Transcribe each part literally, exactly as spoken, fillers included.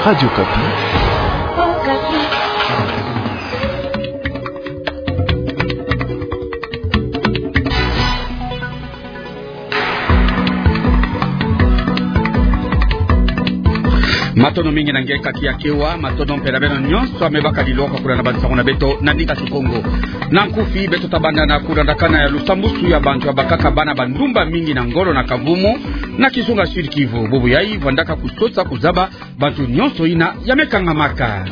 Radio Okapi. Matondo mingi na nge kaki ya kewa, matondo mpe na beno nyonso ya mebaka liloka kuna na bansango na beto na ndinga Kikongo. Na nkufi, beto tabanda na kulandakana ya lusambusu ya bantu ya bakaka bana bandumba mingi na ngolo na kavumu, na kizunga Sud-Kivu. Bubu yayi vandaka kusosa kuzaba bantu nyonso yina ya mekangamaka.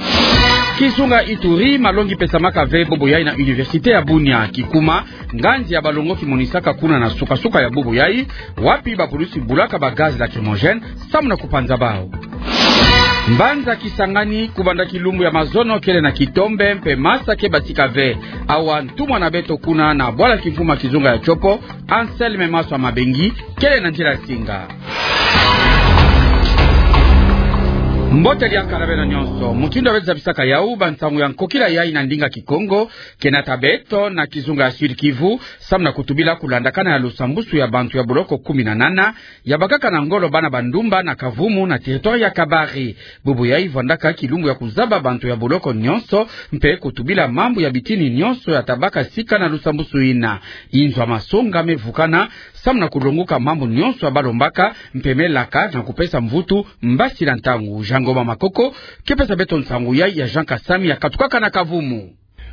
Kizunga Ituri, malongi pesamaka ve bubu yayi na Université ya Bunia. Kikuma, nganzi ya balongoki monisaka kuna na sukasuka ya bubu yayi, wapi bapulusi bulaka ba gaz lacrymogène, samu na kupanza bau. Mbanza Kisangani, kubanda kilumbu ya mazono kele na kitombe, mpe masa ke batika ve. Awa ntumwa na beto kuna na bwala kimfumu ya kizunga ya Tshopo, Anselme Maswa Mabengi, kele na nzila singa. Mbote diaka na beno nyonso. Mutindu ya beto zabisaka yau, bansangu ya nkokila yayi na ndinga Kikongo, ke nata beto na kizunga ya Sud-Kivu, samu na kutubila kulandakana ya lusambusu ya bantu ya boloko kumi na nana, ya bakaka na ngolo bana bandumba na kavumu na territoire ya Kabare. Bubu yayi vandaka kilumbu ya kuzaba bantu ya boloko nyonso, mpe kutubila mambu ya bitini nyonso ya tabaka sika na lusambusu yina. Inzo ya masonga mevukana, samu na kulonguka mambu nyonso ya balombaka, mpe melaka na kupesa mvutu mbasi na ntangu. Jean Ngoma Makoko, ke pesa beto nsangu yayi ya Jean Kasami ya katukaka na kavumu.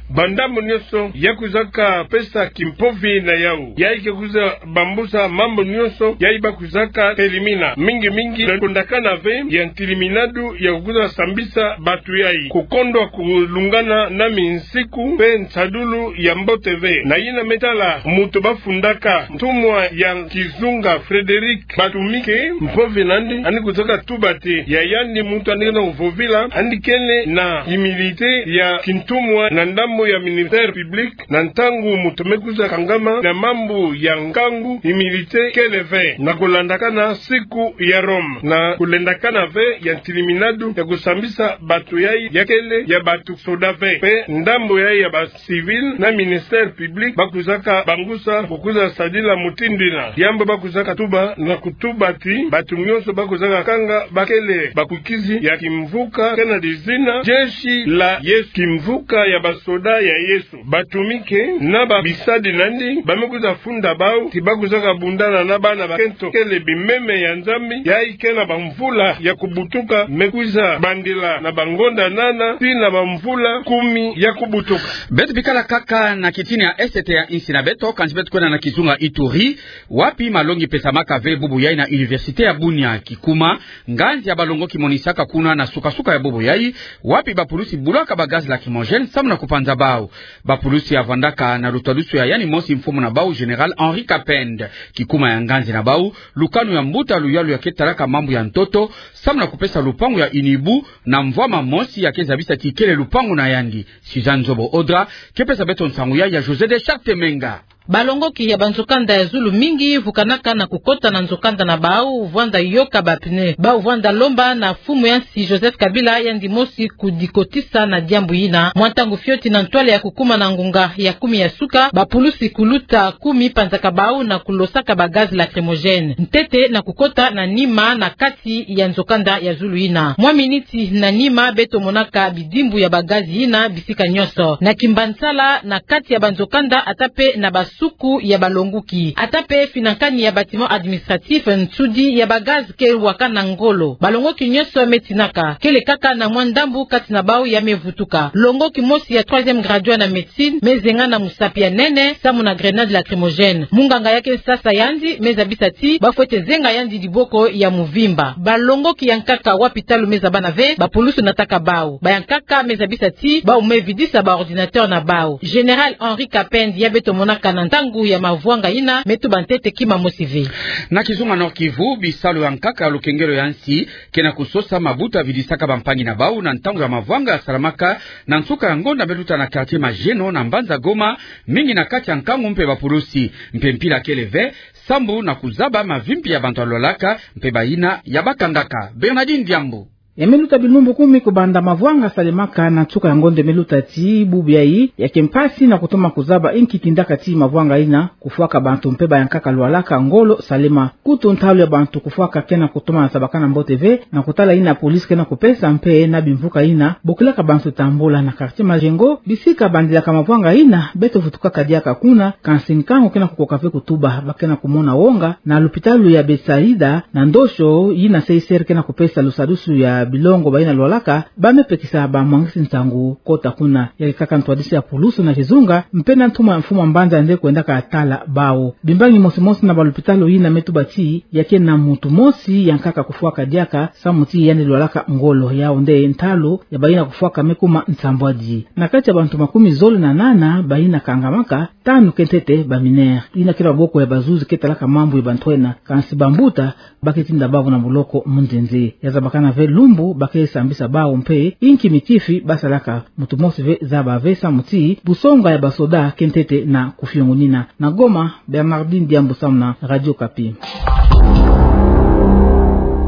Bandambu nyonso ya kwizaka pesa kimpovi na yau, yayi ke kwiza bambusa mambu nyonso yayi ba kwizaka telimina, mingi mingi na kondakana ve ya ntiliminadu ya kwiza sambisa bantu yayi, kukondwa kulungana na minsiku mpe nsadulu ya mbote ve. Na yina me tala muntu bafundaka ntumwa ya kizunga Frédéric Batumike, mpovi nandi, yandi kwizaka tuba ti ya yandi muntu yandi kena kuvovila, yandi kele na humilité ya kintumwa na ndambu ya ministère public, na ntangu muntu me kwiza kangama na mambu ya nkangu, humilité kele ve. Na kulandakana siku ya Rome, na kulendakana ve ya ntiliminadu ya kusambisa bantu yayi, ya kele ya bantu soda ve, mpe ndambu yayi ya ba civil na ministère public ba kwizaka bangusa kukwiza sadila mutindu yina. Yambo ba kwizaka tuba na kutuba ti bantu nyonso ba kwizaka kanga ba kele bakukizi ya kimvuka, kena dizina Jeshi la Yesu, kimvuka ya basoda ya Yesu. Batumike na babisadi nandi ba me kwiza funda bau ti ba kwizaka bundana na bana bakento kele bimeme ya Nzambi, yayi kena bamvula ya kubutuka, me kwiza bandila na bangonda nana tii na bamvula kumi ya kubutuka. Beto bikala kaka na kitini ya Est ya insi na beto, kansi beto kwenda na kizunga Ituri, wapi malongi pesamaka ve bubu yayi na Université ya Bunia. Kikuma, nganzi ya balongoki monisaka kuna na sukasuka ya bubu yayi, wapi bapulusi bulaka ba gaz lacrymogène samu na kupanza bau. Bapulusi ya vandaka na lutadusu ya yandi mosi mfumu na bau, Général Henri Kapend. Kikuma ya nganzi na bau, lukanu ya mbuta luyalu ya ke talaka mambu ya ntoto, samu na kupesa lupangu ya Inibu na mvwama mosi ya ke zabisa ti kele lupangu na yandi. Suzanne Nzobo Odra ke pesa beto nsangu yayi ya José de Charte Menga. Balongoki ya banzokanda ya zulu mingi vukanaka na kukota na nzokanda na bau, vwanda yoka ba pneu. Bau vwanda lomba na mfumu ya nsi Joseph Kabila yandi mosi kudikotisa na diambu yina. Mwa ntangu fioti na ntwala ya kukuma na ngonga ya kumi ya suka, bapulusi kuluta kumi panzaka bau na kulosaka ba gaz lacrymogène. Ntete na kukota na nima na kati ya nzokanda ya zulu yina. Mwa miniti na nima beto monaka bidimbu ya ba gaz yina bisika nyonso. Na Kimbansala, na kati ya banzokanda, ata mpe na basuku ya balongoki, ata mpe finankani ya bâtiment administratif, nsudi ya ba gaz ke waka na ngolo. Balongoki nyonso me tinaka, kele kaka na mwa ndambu kati na bau ya me vutuka. Longoki mosi ya troisième graduat na médecine me zenga na musapi ya nene samu na grenade lacrymogène. Munganga ya ke sasa yandi me zabisa ti ba fwete zenga yandi diboko ya muvimba. Balongoki ya nkaka wapi talu me zabana ve, bapulusu nataka bau. Ba ya nkaka me zabisa ti bau me vidisa ba ordinateur na bau. Général Henri Kapend ya beto monaka na ntangu ya mavwanga yina me tuba ntete kima mosi ve. Na kizunga Nord-Kivu, bisalu ya nkaka ya lukengelo ya nsi ke na kusosa mabuta vidisaka bampangi na bau na ntangu ya mavwanga ya salamaka na nsuka ya ngonda me luta na quartier Mageno na mbanza Goma, mingi na kati ya nkangu mpe bapulusi. Mpe mpila kele ve, sambu na kuzaba mavimpi ya bantu ya lwalaka mpe bayina ya bakangaka. Bernardine Diambu. Ya me luta bilumbu kumi kubanda mavwanga salemaka na nsuka ya ngonde me luta ti bubu yayi, ya ke mpasi na kutoma kuzaba inki tindaka ti mavwanga ina kufwaka bantu mpe bayankaka lwalaka ngolo salema. Kutu ntalu ya bantu kufwaka kena kutoma na sabakana mbote ve, na kotala ina police kena kupesa mpe na bimvuka ina bokilaka bantu tambula na quartier Majengo, bisika bandilaka mavwanga ina, beto vutukaka diaka kuna, kansi nkangu kena kukoka ve kutuba, bakena kumona wonga na lupitalu ya Betsaida, na ndoso ina C I C R kena kupesa lusadusu ya bilongo baina lwalaka, ba me pekisa bamwangisi nsangu kota kuna. Ya ke kaka ntwadisi ya pulusu na kizunga, mpe na ntumwa ya mfumu a mbanza nde kwendaka tala bawu. Bimbangi mosi-mosi na balupitalu ina me tuba ti, ya ke na muntu mosi yankaka kufwaka diaka, samu ti yandi lwalaka ngolo. Yawu nde ntalu ya baina kufwaka me kuma nsambwadi. Na kati ya bantu makumi zole na nana baina kangamaka, tanu ke ntete ba mineurs. Ina ke na maboko ya bazuzi ke talaka mambu ya bantu ena, kansi bambuta ba ke tinda bawu na boloko mu nzenze. Ya zabakana ve lumbu ba ke sambisa bawu mpe inki mitifi basalaka. Muntu mosi ve zaba ve samu ti busonga ya basoda ke ntete na kufiongunina. Na Goma, Bernardine Diambu samu na Radio Okapi.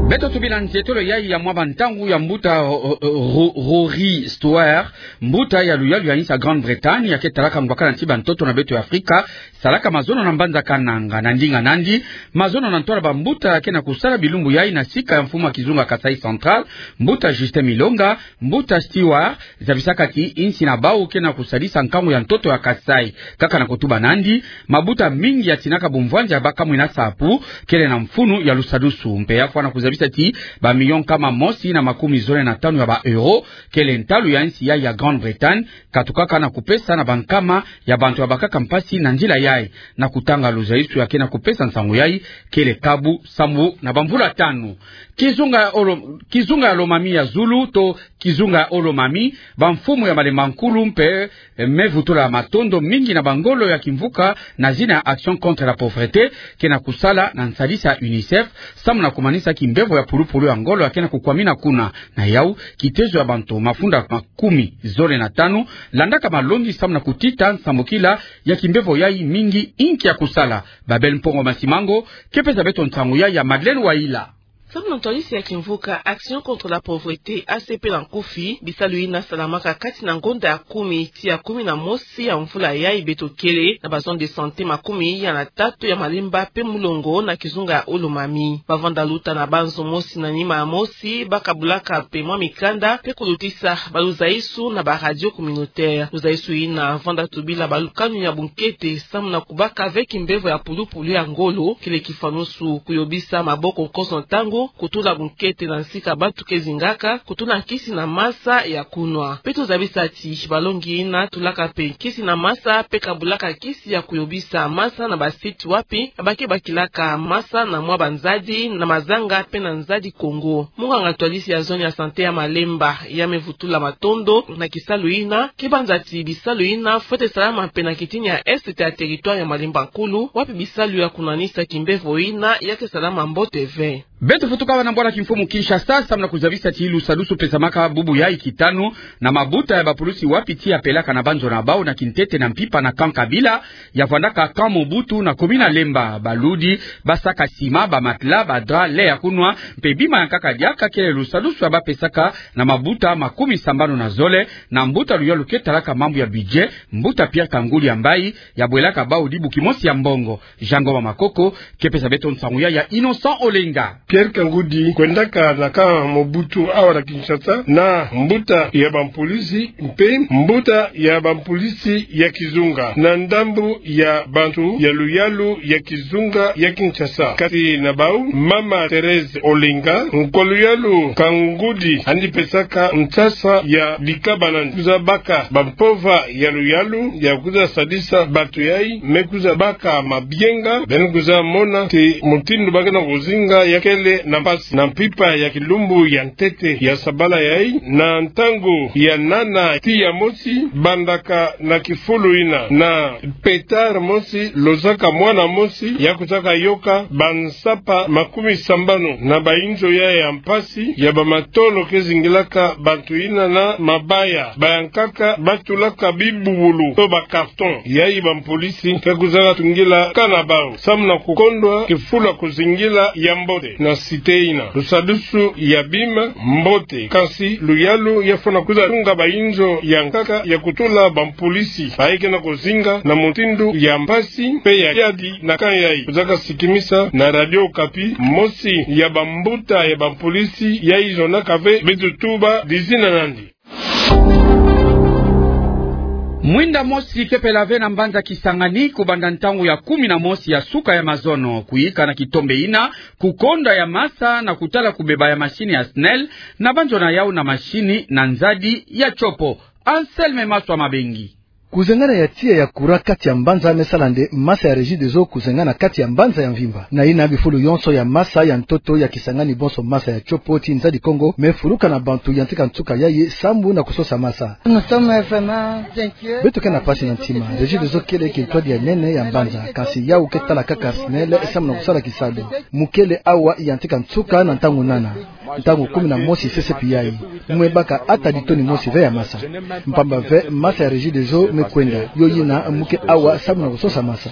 Beto tubila nzietolo yayi ya mwa bantangu ya mbuta, o, o, o, Ro-, Rory Stewart, mbuta ya luyalu ya insi ya Grande-Bretagne, ya ke talaka ngwakana ti bantoto na beto ya Afrika, salaka mazono na mbanza Kananga. Na ndinga nandi, mazono na ntwala bambuta ke na kusala bilumbu yayi na sika ya mfumu a kizunga Kasaï Central, mbuta Justin Milonga, mbuta Stewart, zabisaka ti insi na bawu ke na kusadisa nkangu ya ntoto ya Kasaï. Kaka na kutuba nandi, mabuta mingi ya tinaka bumvwanza ya baka mwina sapu, kele na mfunu ya lusadusu. Mpe ya fwana kuzabisa ti ba millions nkama mosi na makumi zole na tanu ya ba euros, kele ntalu ya insi yayi ya Grande-Bretagne, katukaka na kupesa na bankama ya bantu ya bakaka mpasi na nzila yayi. Na kutanga luzayisu ya ke na kupesa nsangu yayi, kele kabu sambu na bamvula tanu. Kizunga ya Olo-, kizunga ya Lomami ya zulu to kizunga ya Olomami, bamfumu ya Malemba Nkulu mpe, eh, me vutula matondo mingi na bangolo ya kimvuka na zina ya Action contre la pauvreté, ke na kusala na nsadisi ya UNICEF, samu na kumanisa kimbevo ya pulupulu ya ngolo ya ke na kukwamina kuna. Na yawu, kitezo ya bantu mafunda makumi zole na tanu landaka malongi samu na kutita nsambukila ya kimbevo yayi mingi. Inki ya kusala? Babel Mpongo Masimango ke pesa beto nsangu yayi ya Madeleine Wayila. Samu na ntwadisi ya kimvuka Action contre la pauvreté, A C P na nkufi, bisalu yina salamaka kati na ngonda ya kumi tii ya kumi na mosi ya mvula yayi beto kele, na ba zone de santé makumi ya na tatu ya Malemba mpe Mulongo na kizunga ya Olomami. Bavanda luta na banzo mosi na nima ya mosi, bakabulaka mpe mwa mikanda mpe kulutisa baluzayisu na ba radio communautaire. Luzayisu yina vanda tubila balukanu ya bunkete samu na kubaka ve kimbevo ya pulupulu ya ngolo, kele kifanusu kuyobisa maboko nkoso ntangu, kutula bunkete na nsika bantu ke zingaka, kutula nkisi na masa ya kunwa. Mpe tuzabisa ti balongi yina tulaka mpe nkisi na masa mpe kabulaka nkisi ya kuyobisa masa na ba site wapi ba ke bakilaka masa na mwa banzadi na mazanga mpe na nzadi Kongo. Munganga ntwadisi ya zone ya santé ya Malemba ya me vutula matondo na kisalu yina, ke banza ti bisalu yina fwete salama mpe na kitini ya est ya territoire ya Malemba Nkulu, wapi bisalu ya kunwanisa kimbevo yina ya ke salama mbote ve. Beto futuka bana bwala kimfumu Kinshasa, samu na kuzabisa ti lusadusu pesamaka bubu yayi kitanu na mabuta ya bapulusi wapi tii ya pelaka na banzo na bawu na kintete na mpimpa na camp Kabila, ya vwandaka camp Mobutu na commune ya Lemba. Baludi basaka sima, ba matelas, ba draps, lait ya kunwa, mpe bima yankaka diaka kele lusadusu ya bapesaka na mabuta makumi sambanu na zole, na mbuta luyalu ke talaka mambu ya budget, mbuta Pierre Kangudi Yambayi, ya bwelaka bawu dibu kimosi ya mbongo. Jango wa Makoko ke pesa beto nsangu yayi ya Innocent Olenga. Pierre Kangudi kwendaka na camp Mobutu awa na Kinshasa na mbuta ya bampolisi mpe mbuta ya bampolisi ya kizunga na ndambu ya bantu ya luyalu ya kizunga ya Kinshasa. Kati na bawu, mama Thérèse Olenga, nkwa luyalu Kangudi yandi pesaka nsasa ya bikabana kuza baka bampova ya luyalu ya kuza sadisa bantu yayi me kuza baka mabienga, beno kuza mona ti mutindu ba ke na kuzinga ya kele na mpasi na mpimpa ya kilumbu ya ntete ya sabala yayi, na ntangu ya nana tii ya mosi, bandaka na kifulu yina na pétard mosi, lozaka mwana mosi ya kuzaka yoka bansapa makumi sambanu na bayinzo yayi ya mpasi ya bamatolo ke zingilaka bantu yina na mabaya. Bayankaka batulaka bibubulu to ba carton. Yayi bampolisi ke kuzaka tungila kaka na bawu samu na kukondwa kifulu ya kuzingila ya mbote. Na cité yina, lusadusu ya bima mbote, kansi luyalu ya fwana kwiza tunga bainzo ya nkaka ya kutula bampolisi bayi ke na kuzinga na mutindu ya mpasi mpe ya kiadi na camp yayi. Kwiza ka sikimisa na Radio Okapi mosi ya bambuta ya bampolisi yayi zonaka ve beto tuba dizina nandi. Mwinda mosi kepela ve na mbanza Kisangani, kubanda ntangu ya kumi na mosi ya suka ya mazono, kuyika na kitombe yina, kukonda ya masa na kutala kubeba ya masini ya SNEL, na banzona yau na masini na nzadi ya tiopo. Anselme Maswa Mabengi. Kuzengana ya tiya ya kura kati ya mbanza me sala nde masa ya Regideso kuzengana kati ya mbanza ya mvimba. Na yina bifulu yonso ya masa ya ntoto ya Kisangani bonso masa ya tiopo ti nzadi Kongo me fuluka na bantu yantika nsuka yayi sambu na kusosa masa. Nous sommes vraiment inquiets. Beto ke na pasi na ntima. Regideso kele kintwadi ya nene ya mbanza, kansi yau ke tala kaka SNEL sambu na kusala kisalu. Mukele awa yantika nsuka na ntangu nana. Ntangu kumi na mosi sesepi yayi, mwe baka ata di toni mosi ve ya masa. Mpamba ve masa ya Regideso me kwenda, yo yina mu ke awa sambu na kusosa masa.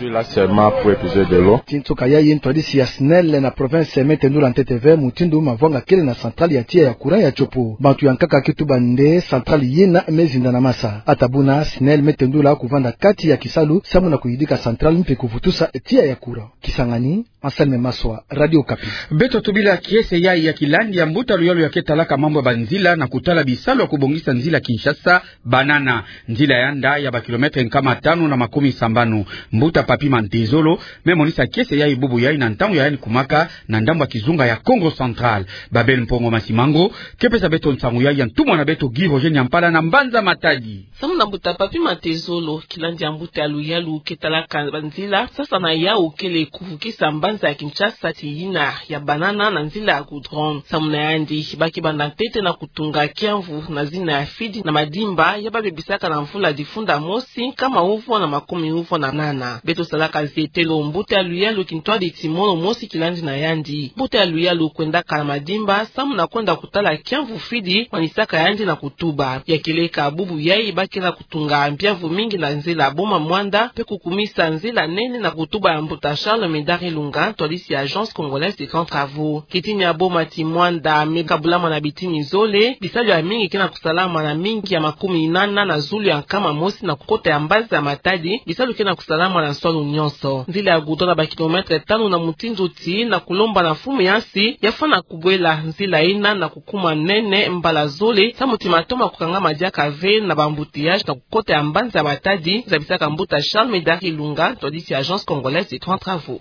Ti nsuka yayi ntwadisi ya SNEL na province me tendula ntete ve mutindu mavwanga kele na centrale ya tiya ya courant ya tiopo. Bantu ya nkaka ke tuba nde centrale yina me zinda na masa. Ata buna SNEL me tendula kuvanda kati ya kisalu sambu na kuyidika centrale mpe kuvutusa tiya ya courant. Kisangani, Anselme Maswa, Radio Okapi. Beto tubila kiese yayi ya kilandi ya mbuta luyalu ya ke talaka mambu ya banzila na kutala bisalu ya kubongisa nzila Kinshasa Banana. Nzila ya nda ya ba kilomètre nkama tanu na makumi sambanu. Mbuta Papy Mantezolo me monisa kiese yayi bubu yayi na ntangu ya yandi kumaka na ndambu ya kizunga ya Kongo Central. Babel Mpongo Masimango ke pesa beto nsangu yayi ya ntumwa na beto Guy Roger Nyampala na mbanza Matadi. Sambu na mbuta Papy Mantezolo, kilandi ya mbuta ya luyalu ke talaka banzila, sasa na yau kele kuvukisa mbanza ya Kinshasa ti yina ya Banana na nzila ya goudron. Sambu na yandi, ba ke banda ntete na kutunga kiamvu na zina ya Fidi na Madimba, ya ba bebisaka na mvula difunda mosi nkama uvwa na makumi uvwa na nana. Beto salaka zietelo, mbuta ya luyalu kintwadi ti mono mosi kilandi na yandi. Mbuta ya luyalu kwendaka na Madimba sambu na kwenda kutala kiamvu Fidi, manisaka yandi na kutuba. Ya kieleka bubu yayi ba ke na kutunga mbiamvu mingi na nzila Boma Muanda, mpe kukumisa nzila nene na kutuba ya mbuta Charles Médard Ilunga, ntwadisi ya Agence Congolaise des Grands Travaux. Kitini ya Boma ti Muanda me kabulama na bitini zole, bisalu ya mingi ke na kusalama na mingi ya makumi nana na zulu ya nkama mosi na kukota ya mbanza ya Matadi, bisalu ke na kusalama na nswalu nyonso. Nzila ya goudron na ba kilomètre tanu na mutindu ti na kulomba na mfumu ya nsi ya fwana kubwela nzila yina na kukuma nene mbala zole, sambu ti mato ma kukangama diaka ve na ba embouteillage na kukota ya mbanza ya Matadi, zabisaka mbuta Charles Médard Ilunga, ntwadisi ya Agence Congolaise des Grands Travaux.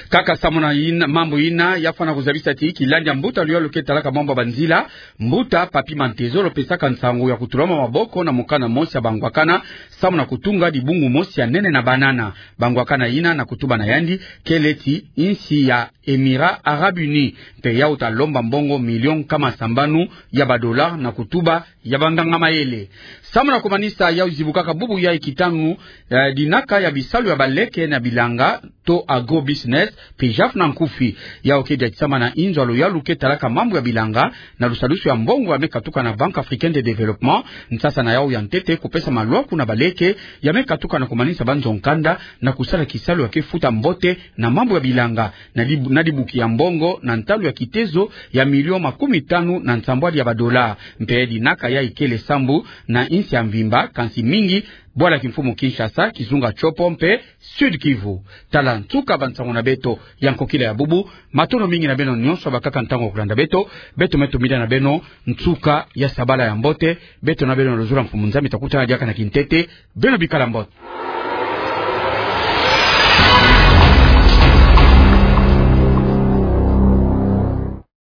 Kaka sambu na yina, mambu yina, ya fwana kuzabisa ti kilandi ya mbuta luyalu ke talaka mambu ya banzila, mbuta Papy Mantezolo pesaka nsangu ya kutulama maboko na mukanda mosi ya bangwakana, sambu na kutunga dibungu mosi ya nene na Banana. Bangwakana yina na kutuba na yandi kele ti insi ya Émirats Arabes Unis, mpe yau ta lomba mbongo million nkama sambanu ya ba dollars na kutuba ya banganga mayele. Sambu na kumanisa, yau zibukaka bubu yayi kitanu, eh, dinaka ya bisalu ya baleke na bilanga, to agro-business, PJAF na nkufi. Yau ke diatisama na inzo ya luyalu ke talaka mambu ya bilanga, na lusadusu ya mbongo ya me katuka na Banque Africaine de Développement, nsasa na yau ya ntete kupesa malwaku na baleke ya me katuka na kumanisa banzo nkanda na kusala kisalu ya ke futa mbote na mambu ya bilanga, na dib-, na dibuki ya mbongo na ntalu ya kitezo ya million makumi tanu na nsambwadi ya ba dollars. Mpe dinaka yayi kele sambu na insi ya mvimba, kansi mingi bwala kimfumu Kinshasa, kizunga Tshopo mpe Sud-Kivu. Tala nsuka bansangu na beto ya nkokila ya bubu. Matondo mingi na beno nyonso bakaka ntangu ya kulanda beto. Beto me tumbila na beno nsuka ya sabala ya mbote. Beto na beno na luzolo ya Mfumu Nzambi, ta kutana diaka na kintete. Beno bikala mbote.